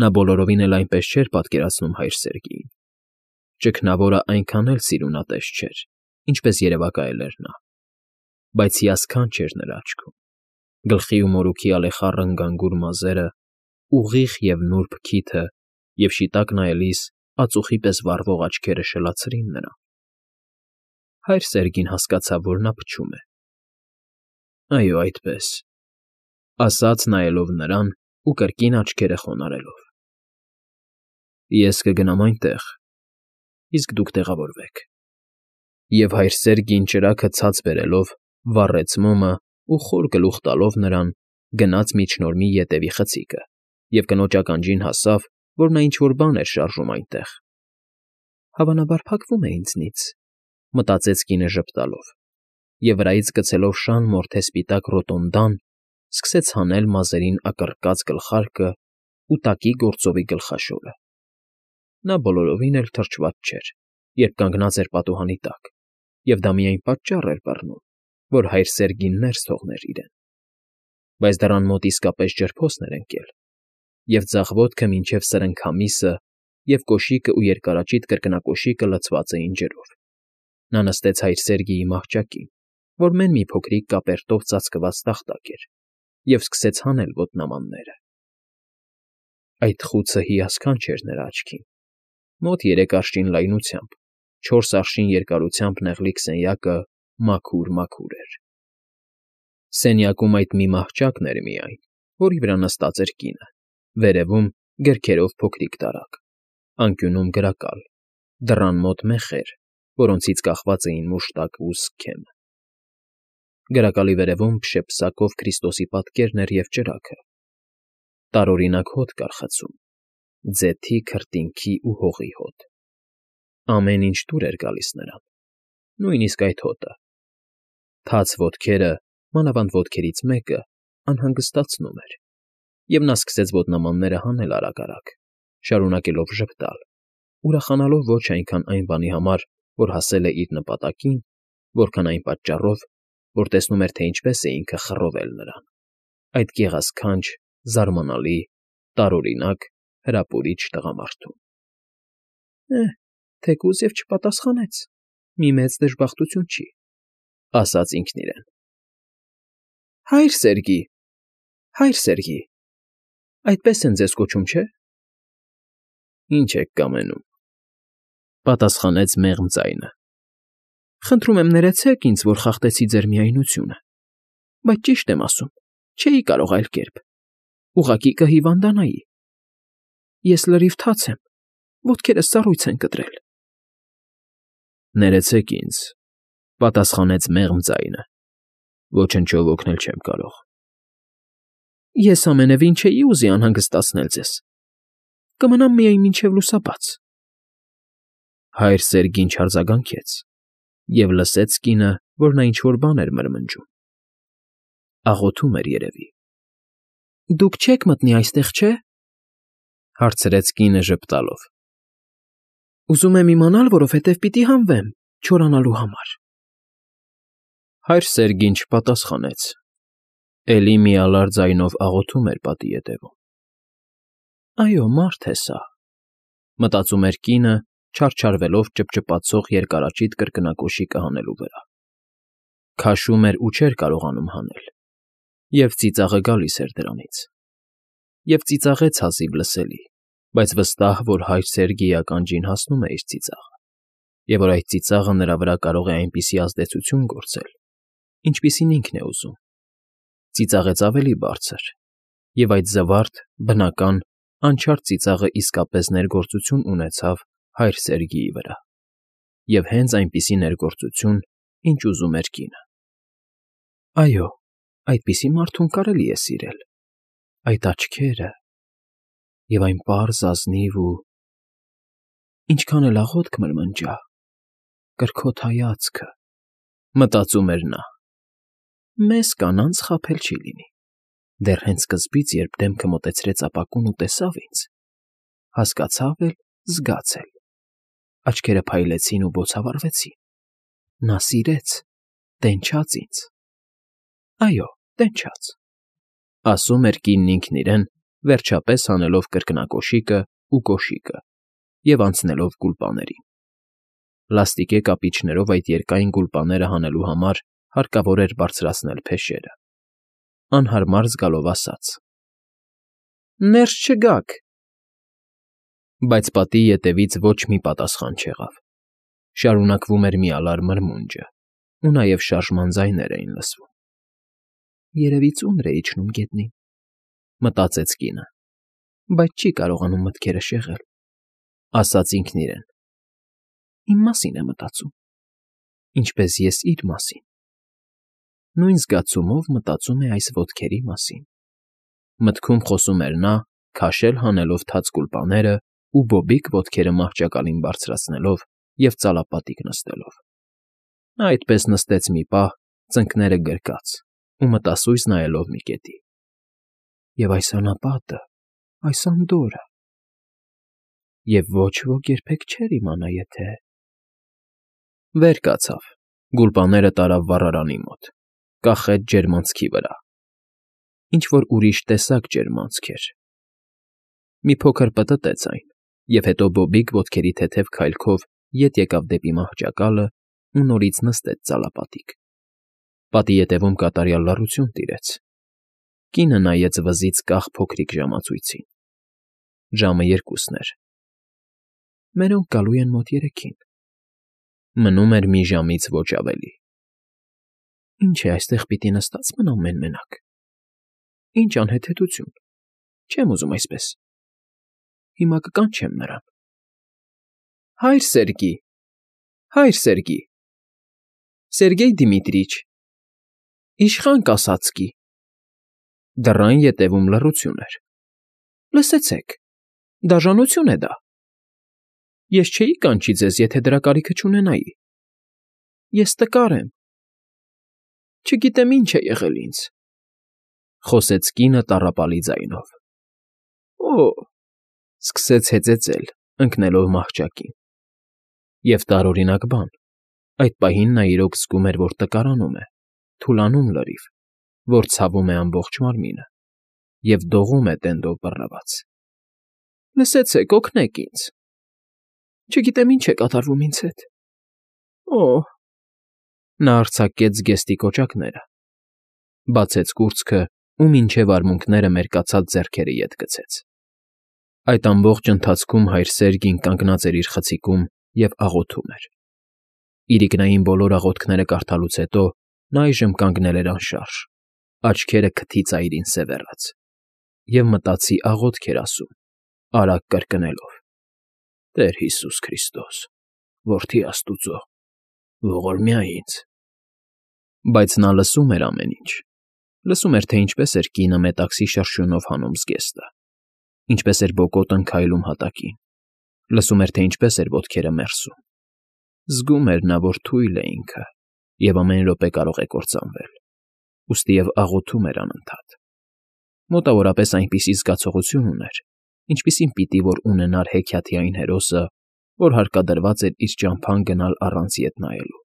Նա բոլորովին էլ այնպես չէր պատկերացնում հայր Սերգեյին. ճգնավորը այնքան էլ սիրունատես չէր, ինչպես երևակայել էր նա, բայց հիասքանչ էր նրա աչքում, գլխի ու մորուքի ալեխառն գանգուր մազերը, ուղիղ և նուրբ քիթը և շիտակ նայելիս ածուխի պես վառվող աչքերը շլացրին նրան։ Հայր Սերգին հասկացավ, որ նա փչում է։ Այո, այդպես, ասաց նայելով նրան ու կրկին աչքերը խոնարհելով։ Ես կգնամ այնտեղ, իսկ դուք տեղավորվեք։ Եվ հայր Սերգին ճրագը ցած բերելով, վառեց մոմը ու խոր գլուխ տալով նրան, գնաց միջնորմի ետևի խցիկը և կնոջ ականջին հասավ, որ նա ինչ֊որ բան էր շարժում այնտեղ։ Հավանաբար փակվում է ինձնից, մտածեց կինը ժպտալով, և վրայից գցելով շան մորթե սպիտակ ռոտոնդան, սկսեց հանել մազերին ակռկած գլխարկը ու տակի գործովի գլխաշորը։ Նա բոլորովին էլ թրջված չէր, երբ կանգնած էր պատուհանի տակ, և դա միայն պատճառ էր բռնում, որ հայր Սերգին ներս թողներ իրեն։ Բայց դռան մոտ իսկապես ջրփոսն էր ընկել, և ձախ ոտքը մինչև սրընքամիսը և կոշիկը ու երկարաճիտ կրկնակոշիկը լցված էին ջրով։ Նա նստեց հայր Սերգեյի մահճակին, որ մեն մի փոքրիկ կապերտով ծածկված տախտակ էր, և սկսեց հանել ոտնամանները։ Այդ խուցը հիասքանչ էր նրա աչքին։ Մոտ 3 արշին լայնությամբ, 4 արշին երկարությամբ նեղլիկ սենյակը մաքուր էր։ Սենյակում այդ մի մահճակն էր միայն, որի վրա նստած էր կինը, վերևում գրքերով փոքրիկ տարակ, անկյունում գրակալ, դռան մոտ մեխեր, որոնցից կախված էին մուշտակ ու սքեմ։ Գրակալի վերևում փշեպսակով Քրիստոսի պատկերն էր և ճրագը։ Տարօրինակ հոտ կար խցում, ձեթի, քրտինքի ու հողի հոտ։ Ամեն ինչ դուր էր գալիս նրան, նույնիսկ այդ հոտը։ Թաց ոտքերը, մանավանդ ոտքերից մեկը, անհանգստացնում էր, և նա սկսեց ոտնամանները հանել արագ, շարունակելով ժպտալ, ուրախանալով ոչ այնքան այն բանի համար, որ հասել է իր նպատակին, որքան այն պատճառով, որ տեսնում էր, թե ինչպես է ինքը խռովել նրան, այդ գեղասքանչ, զարմանալի, տարօրինակ, հրապուրիչ տղամարդուն։ Թեկուզ և չպատասխանեց, մի մեծ դժբախտություն չի, ասաց ինքն իրեն։ Հայր Սերգի, այդպես են ձեզ կոչում, չէ՞։ Ինչ եք կամենում, պատասխանեց մեղմ ձայնը։ Խնդրում եմ ներեցեք ինձ, որ խախտեցի ձեր միայնությունը, բայց ճիշտ եմ ասում, չէի կարող այլ կերպ, ուղղակի կհիվանդանայի։ Ես լրիվ թաց եմ, ոտքերս սառույց են կտրել։ Ներեցեք ինձ, պատասխանեց մեղմ ձայնը, ոչնչով օգնել չեմ կարող։ Ես ամենևին չէի ուզի անհանգստացնել ձեզ, կմնամ միայն մինչև լուսաբաց։ Հայր Սերգին չարձագանքեց և լսեց կինը, որ նա ինչ֊որ բան էր մրմնջում։ Աղոթում էր երևի։ Դուք չեք մտնի այստեղ, չէ՞, հարցրեց կինը ժպտալով։ Ուզում եմ իմանալ, որովհետև պիտի հանվեմ չորանալու համար։ Հայր Սերգին չպատասխանեց, էլի միալար ձայնով աղոթում էր պատի ետևում։ Այո, մարդ է սա, մտածում էր կինը, չարչարվելով ճպճպացող երկարաճիտ կրկնակոշիկը հանելու վրա։ Քաշում էր ու չէր կարողանում հանել, և ծիծաղը գալիս էր դրանից։ Եվ ծիծաղեց հազիվ լսելի, բայց վստահ, որ հայր Սերգեյի ականջին հասնում է իր ծիծաղը, և որ այդ ծիծաղը նրա վրա կարող է այնպիսի ազդեցություն գործել, ինչպիսին ինքն է ուզում։ Ծիծաղեց ավելի բարձր, և այդ զվարթ, բնական, անչափ ծիծաղը իսկապես ներգործություն ունեցավ հայր Սերգեյի վրա, և հենց այնպիսի ներգործություն, ինչ ուզում էր կինը։ Այո, այդպիսի մարդուն կարելի է սիրել, այդ աչքերը, և այն պարզ, ազնիվ ու… ինչքան էլ աղոթք մրմնջա, կրքոտ հայացքը, մտածում էր նա։ Մեզ կանանց խաբել չի լինի։ Դեռ հենց սկզբից, երբ դեմքը մոտեցրեց ապակուն ու տեսավ ինձ, հասկացավ էլ, զգաց էլ, աչքերը փայլեցին ու բոցավառվեցին։ Նա սիրեց, տենչաց ինձ։ Այո, տենչաց, ասում էր կինն ինքն իրեն, վերջապես հանելով կրկնակոշիկը ու կոշիկը և անցնելով գուլպաներին։ Լաստիկե կապիչներով այդ երկայն գուլպաները հանելու համար հարկավոր էր բարձրացնել փեշերը։ Անհարմար զգալով ասաց. «Ներս չգաք»։ Բայց պատի ետևից ոչ մի պատասխան չեղավ։ Շարունակվում էր մի ալար մրմունջը, ու նաև շարժման ձայներ էին լսվում։ «Երևի ծունր է իջնում գետնին», մտածեց կինը, բայց չի կարողանում մտքերը շեղել, ասաց ինքն իրեն։ Իմ մասին է մտածում, ինչպես ես իր մասին։ Նույն զգացումով մտածում է այս ոտքերի մասին։ Մտքում խոսում էր նա, քաշել հանելով թաց գուլպաները ու բոբիկ ոտքերը մահճակալին բարձրացնելով և ծալապատիկ նստելով։ Նա այդպես նստեց մի պահ, ծնկները գրկած ու մտասույզ նայելով մի կետի։ Եվ այս անապատը, այս անդորրը… Եվ ոչ ոք երբեք չէր իմանա, եթե… Վեր կացավ, գուլպաները տարավ վառարանի մոտ, կախեց ջերմանցքի վրա։ Ինչ֊որ ուրիշ տեսակ ջերմանցք էր։ Մի փոքր պտտեց այն, և հետո բոբիկ ոտքերի թեթև քայլքով ետ եկավ դեպի մահճակալը ու նորից նստեց ծալապատիկ։ Պատի ետևում կատարյալ լռություն տիրեց։ Կինը նայեց վզից կախ փոքրիկ ժամացույցին։ Ժամը 2-ն էր։ Մերոնք գալու են մոտ 3-ին։ Մնում էր մի ժամից ոչ ավելի։ Ինչ է, այստեղ պիտի նստած մնամ մեն֊մենակ։ Ինչ անհեթեթություն, չեմ ուզում այսպես։ Հիմա կկանչեմ նրան։ Հայր Սերգի, հայր Սերգի, Սերգեյ Դիմիտրիչ, իշխան կասացկի։ Դռան ետևում լռություն էր։ Լսեցեք, դաժանություն է դա։ Ես չէի կանչի ձեզ, եթե դրա կարիքը չունենայի։ Ես տկար եմ։ Չգիտեմ ինչ է եղել ինձ, խոսեց կինը տառապալի ձայնով։ Օ՜, սկսեց հեծեծել, ընկնելով մահճակին։ Եվ տարօրինակ բան, այդ պահին նա իրոք զգում էր, որ տկարանում է, թուլանում լրիվ, որ ցավում է ամբողջ մարմինը և դողում է տենդով բռնված։ Լսեցեք, օգնեք ինձ։ Չգիտեմ ինչ է կատարվում ինձ հետ։ Օ՜… Նա արձակեց զգեստի կոճակները, բացեց կուրծքը ու մինչև արմունկները մերկացած ձեռքերը ետ գցեց։ Այդ ամբողջ ընթացքում հայր Սերգին կանգնած էր իր խցիկում և աղոթում էր։ Իրիկնային բոլոր աղոթքները կարդալուց հետո նա այժմ կանգնել էր անշարժ, աչքերը քթի ծայրին սևեռած, և մտածի աղոթք էր ասում, արագ կրկնելով. Տեր Հիսուս Քրիստոս, որդի Աստուծո, ողորմյա ինձ։ Բայց նա լսում էր ամեն ինչ։ Լսում էր, թե ինչպես էր կինը մետաքսի շրշյունով հանում զգեստը, ինչպես էր բոկոտն քայլում հատակին։ Լսում էր, թե ինչպես էր ոտքերը մերսում։ Զգում էր նա, որ թույլ է ինքը, և ամեն րոպե կարող է կործանվել, ուստի և աղոթում էր անընդհատ։ Մոտավորապես այնպիսի զգացողություն ուներ, ինչպիսին պիտի որ ունենար հեքիաթի այն հերոսը, որ հարկադրված էր իր ճամփան գնալ առանց ետ նայելու։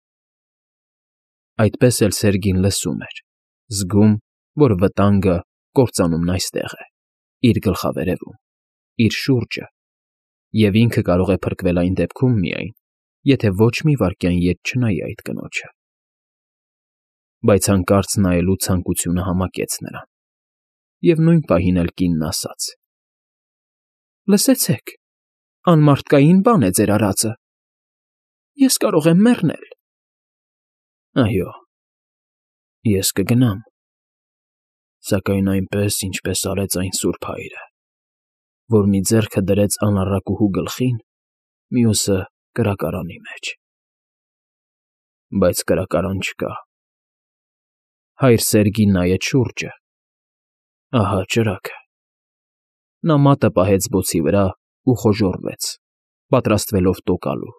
Այդպես էլ Սերգին լսում էր, զգում, որ վտանգը կործանումն այստեղ է, իր գլխավերևում, իր շուրջը, և ինքը կարող է փրկվել այն դեպքում միայն, եթե ոչ մի վայրկյան ետ չնայի այդ կնոջը։ Բայց հանկարծ նայելու ցանկությունը համակեց նրան, և նույն պահին էլ կինն ասաց. Լսեցեք, անմարդկային բան է ձեր արածը։ Ես կարող եմ մեռնել։ Այո, ես կգնամ, սակայն այնպես, ինչպես արեց այն սուրբ հայրը, որ մի ձեռքը դրեց անառակուհու գլխին, մյուսը կրակարանի մեջ։ Բայց կրակարան չկա։ Հայր Սերգին նայեց շուրջը։ Ահա ճրագը։ Նա մատը պահեց բոցի վրա ու խոժոռվեց, պատրաստվելով տոկալու,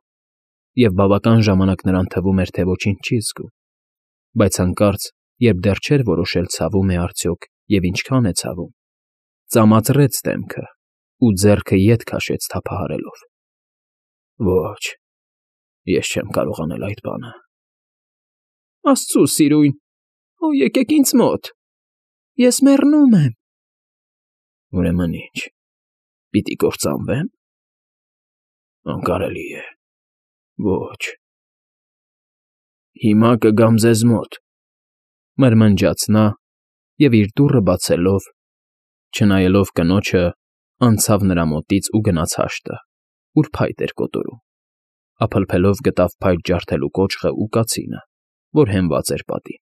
և բավական ժամանակ նրան թվում էր, թե ոչինչ չի զգում, բայց հանկարծ, երբ դեռ չէր որոշել ցավում է արդյոք և ինչքան է ցավում, ծամացրեց դեմքը ու ձեռքը ետ քաշեց թափահարելով։ Ոչ, ես չեմ կարող անել այդ բանը։ Աստծո սիրուն, եկեք ինձ մոտ, ես մեռնում եմ։ Ուրեմն ինչ, պիտի կործանվե՞մ։ Անկարելի է։ Ոչ։ Հիմա կգամ ձեզ մոտ, մրմնջաց նա և իր դուռը բացելով, չնայելով կնոջը, անցավ նրա մոտից ու գնաց հաշտը, ուր փայտ էր կոտորում, ափլփելով գտավ փայտ ջարդելու կոճղը ու կացինը, որ հենված էր պատին։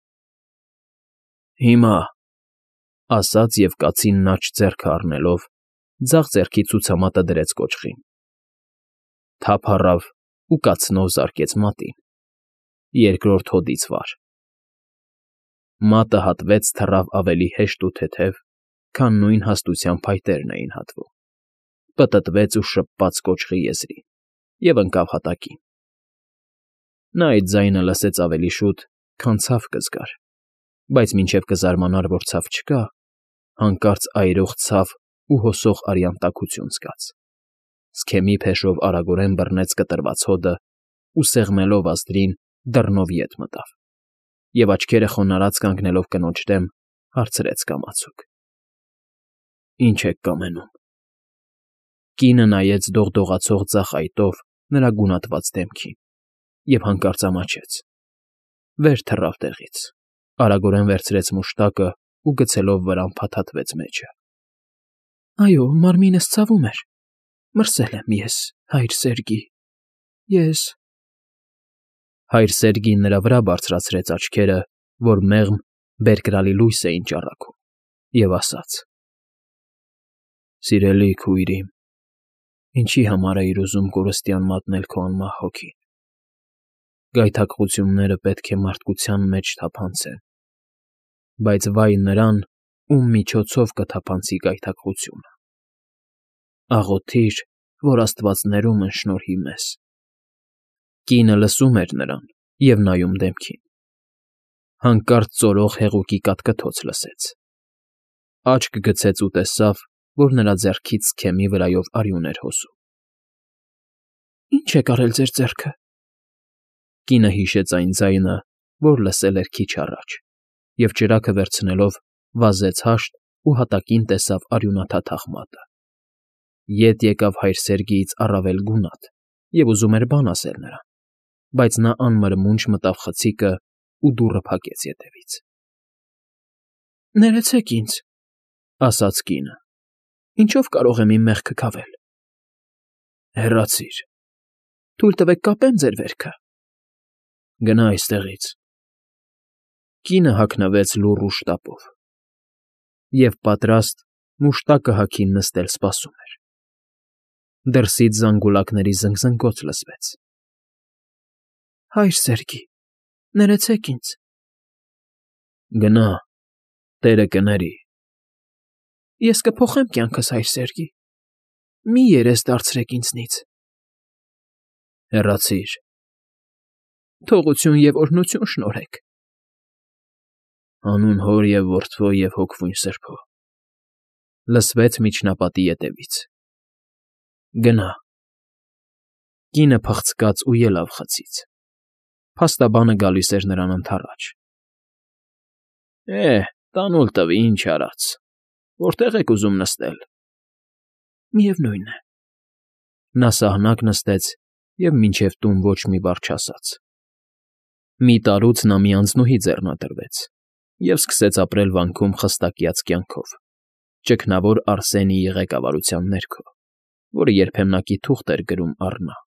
Հիմա, ասաց և կացինն աջ ձեռքը առնելով, ձախ ձեռքի ցուցամատը դրեց կոճղին, թափ առավ ու կացնով զարկեց մատին, երկրորդ հոդից վար։ Մատը հատվեց թռավ ավելի հեշտ ու թեթև, քան նույն հաստության փայտերն էին հատվում, պտտվեց ու շպպաց կոճղի եզրին և ընկավ հատակին։ Նա այդ ձայնը լսեց ավելի շուտ, քան ցավ կզգար, բայց մինչև կզարմանար, որ ցավ չկա, հանկարծ այրող ցավ ու հոսող արյան տաքություն զգաց, սքեմի փեշով արագորեն բռնեց կտրված հոդը ու սեղմելով ազդրին դռնով ետ մտավ և, աչքերը խոնարհած կանգնելով կնոջ դեմ, հարցրեց կամացուկ. Ինչ եք կամենում։ Կինը նայեց դողդողացող ձախ այտով նրա գունատված դեմքին և հանկարծ ամաչեց, վեր թռավ տեղից, արագորեն վերցրեց մուշտակը ու գցելով վրան փաթաթվեց մեջը։ Այո, մարմինս ցավում էր, մրսել եմ ես, հայր Սերգի, ես… Հայր Սերգին նրա վրա բարձրացրեց աչքերը, որ մեղմ, բերկրալի լույս էին ճառագում, և ասաց. Սիրելի քույր իմ, ինչի համար էիր ուզում կորստյան մատնել քո անմահ հոգին։ Գայթակղությունները պետք է մարդկության մեջ թափանցեն, բայց վայ նրան, ում միջոցով կթափանցի գայթակղությունը։ Աղոթիր, որ աստվածներում ընշնորհի մեզ։ Կինը լսում էր նրան և նայում դեմքին։ Հանկարծ ծորող հեղուկի կատկթոց լսեց։ Աչք գցեց ու տեսավ, որ նրա ձեռքից սքեմի վրայով արյուն էր հոսում։ Ի՞նչ եք արել ձեր ձեռքը։ Կինը հիշեց այն ձայնը, որ լսել էր քիչ առաջ, և ճրագը վերցնելով վազեց հաշտ ու հատակին տեսավ արյունաթաթախ մատը։ Ետ եկավ հայր Սերգիից առավել գունատ և ուզում էր բան ասել նրան, բայց նա անմրմունջ մտավ խցիկը ու դուռը փակեց ետևից։ Ներեցեք ինձ, ասաց կինը, ինչո՞վ կարող եմ իմ մեղքը քավել։ Հեռացիր։ Թույլ տվեք կապեմ ձեր վերքը։ Գնա այստեղից։ Կինը հագնվեց լուռ ու շտապով և պատրաստ մուշտակը հագին նստել սպասում էր։ Դրսից զանգուլակների զնգզնգոց լսվեց։ Հայր Սերգի, ներեցեք ինձ։ Գնա, տերը կների։ Ես կփոխեմ կյանքս, հայր Սերգի, մի երես դարձրեք ինձնից։ Հեռացիր։ Թողություն և օրհնություն շնորհեք։ Հանուն Հոր և Որդվո և Հոգվույն Սրբո, լսվեց միջնապատի ետևից։ Գնա։ Կինը փղցկաց ու ելավ խցից։ Փաստաբանը գալիս էր նրան ընդառաջ։ Տանուլ տվի, ինչ արած, որտե՞ղ եք ուզում նստել։ Միևնույն է։ Նա սահնակ նստեց և մինչև տուն ոչ մի բառ չասաց։ Մի տարուց նա մի անձնուհի ձեռնադրվեց և սկսեց ապրել վանքում խստակյաց կյանքով, ճգնավոր Արսենիի ղեկավարության ներքո, որը երբեմնակի թուղթ էր գրում առ նա։